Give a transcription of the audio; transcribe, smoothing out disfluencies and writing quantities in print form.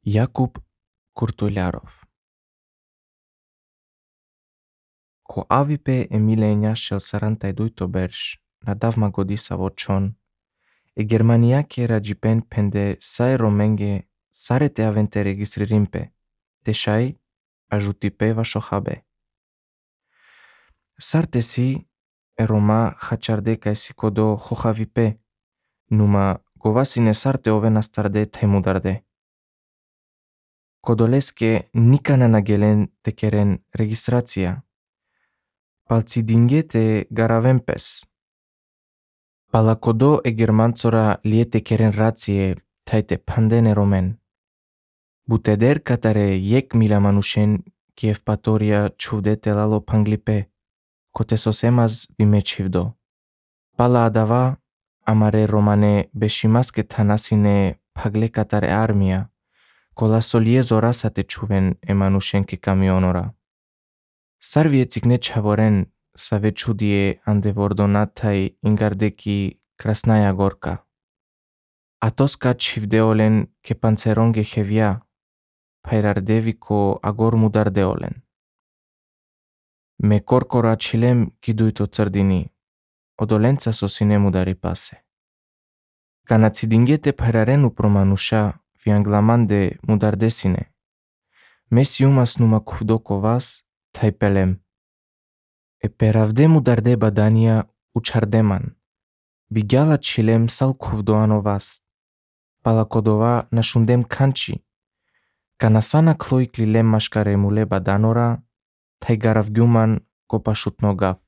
Jakub Kurtuljarov. Ko avipe Emilia shel sarantai duitobersh, nadav magodisa vochon, e Germaniake ragipen pende sae romenge sarete avente registririmpe, teshai ajutipe vashochabe. Sartesi e Roma hacharde kai sikodo hochavipe, numa govasine sarte oven astarde temudarde. Kodoleske nikana nagelen tekeren registrația. Palțidingete garavempes. Palacodo e germanțora liete keren rație taite pandene romen. Buteder catare iec mila manușen Kiev patoria ciuvdete lalo panglipe, cotesosemas vimecivdo. Pala adava amare romane beșimasque tanasine pagle catare armia, cola soliezo rasate ciuven e manușenke camionora. Sarvie țicne čavoren sa večudie andevordonatai ingardeki Krasnaja Gorka. Atoska čivdeolen ke panceronge hevia, pairardeviko agor mudardeolen. Me corcora cilem kiduito țărdini, odolența sosine mudari pase. Canațidingete pairarenu promanușa vianglamande mudardesine. Mesiumas numa kuvdokovas taipelem. E peravde mudarde badania učardeman. Vigyala cilem sal kuvdoanovas. Palakodova našundem kanči. Kanasana kloi klilem maškare mule badanora, tai garavgyuman kopašut nogav.